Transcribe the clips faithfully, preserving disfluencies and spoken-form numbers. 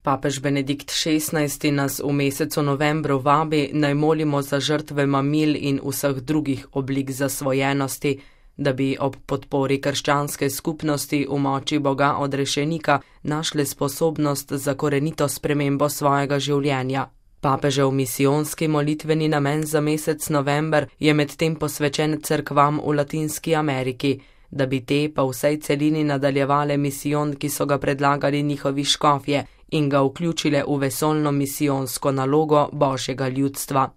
Papež Benedikt šestnajsti nas v mesecu novembru vabi, naj molimo za žrtve mamil in vseh drugih oblik zasvojenosti, da bi ob podpori krščanske skupnosti v moči Boga odrešenika našli sposobnost za korenito spremembo svojega življenja. Papežev misijonski molitveni namen za mesec november je medtem posvečen cerkvam v Latinski Ameriki, da bi te pa vsej celini nadaljevale misijon, ki so ga predlagali njihovi škofje in ga vključile v vesoljno misijonsko nalogo Božjega ljudstva.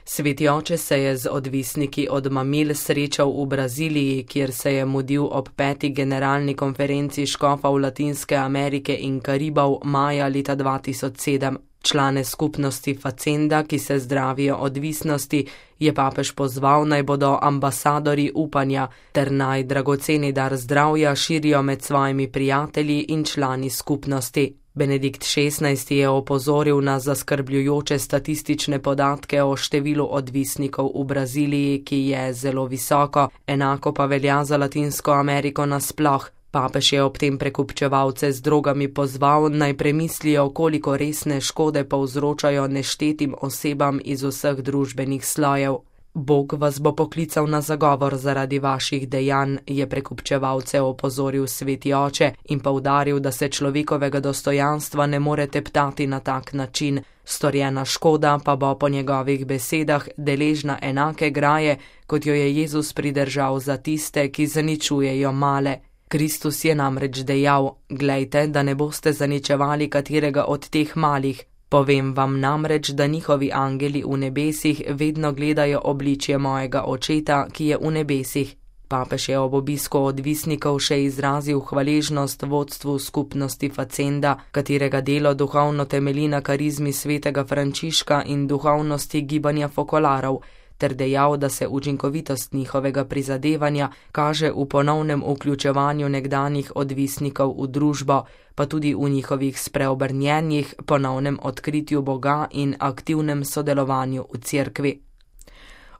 Sveti oče se je z odvisniki od mamil srečal v Braziliji, kjer se je mudil ob peti generalni konferenci škofov Latinske Amerike in Karibov maja leta dva tisoč sedem. Člane skupnosti Facenda, ki se zdravijo odvisnosti, je papež pozval, naj bodo ambasadori upanja ter naj dragoceni dar zdravja širijo med svojimi prijatelji in člani skupnosti. Benedikt šestnajsti je opozoril na zaskrbljujoče statistične podatke o številu odvisnikov v Braziliji, ki je zelo visoko, enako pa velja za Latinsko Ameriko nasploh. Papež je ob tem prekupčevalce z drogami pozval, naj premislijo, koliko resne škode povzročajo neštetim osebam iz vseh družbenih slojev. Bog vas bo poklical na zagovor zaradi vaših dejanj, je prekupčevalce opozoril sveti oče in poudaril, da se človekovega dostojanstva ne more teptati na tak način. Storjena škoda pa bo po njegovih besedah deležna enake graje, kot jo je Jezus pridržal za tiste, ki zaničujejo male. Kristus je namreč dejal: glejte, da ne boste zaničevali katerega od teh malih. Povem vam namreč, da njihovi angeli v nebesih vedno gledajo obličje mojega očeta, ki je v nebesih. Papež je ob obisku odvisnikov še izrazil hvaležnost vodstvu skupnosti Facenda, katerega delo duhovno temelji na karizmi svetega Frančiška in duhovnosti gibanja Fokolarov, ter dejal, da se učinkovitost njihovega prizadevanja kaže v ponovnem vključevanju nekdanjih odvisnikov v družbo, pa tudi v njihovih spreobrnjenjih, ponovnem odkritju Boga in aktivnem sodelovanju v cerkvi.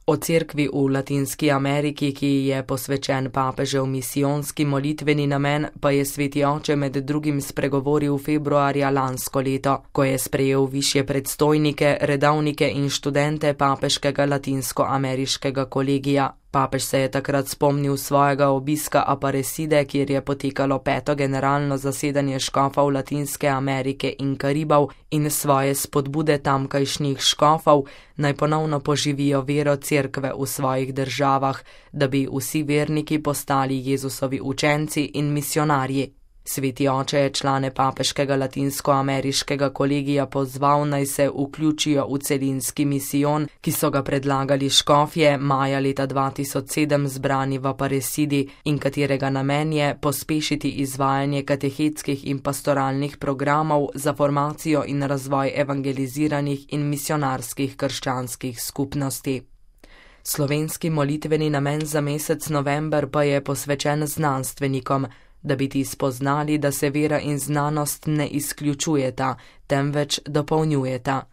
O cerkvi v Latinski Ameriki, ki je posvečen papežev misijonski molitveni namen, pa je sveti oče med drugim spregovoril februarja lansko leto, ko je sprejel višje predstojnike, redovnike in študente papeškega latinsko-ameriškega kolegija. Papež se je takrat spomnil svojega obiska Aparecide, kjer je potekalo peto generalno zasedanje škofov Latinske Amerike in Karibov, in svoje spodbude tamkajšnjih škofov, naj ponovno poživijo vero cerkve v svojih državah, da bi vsi verniki postali Jezusovi učenci in misionarji. Sveti oče je člane papeškega latinsko-ameriškega kolegija pozval, naj se vključijo v celinski misijon, ki so ga predlagali škofje maja leta dva tisoč sedem zbrani v Aparecidi in katerega namen je pospešiti izvajanje katehetskih in pastoralnih programov za formacijo in razvoj evangeliziranih in misionarskih krščanskih skupnosti. Slovenski molitveni namen za mesec november pa je posvečen znanstvenikom, da bi ti spoznali, da se vera in znanost ne izključujeta, temveč dopolnjujeta.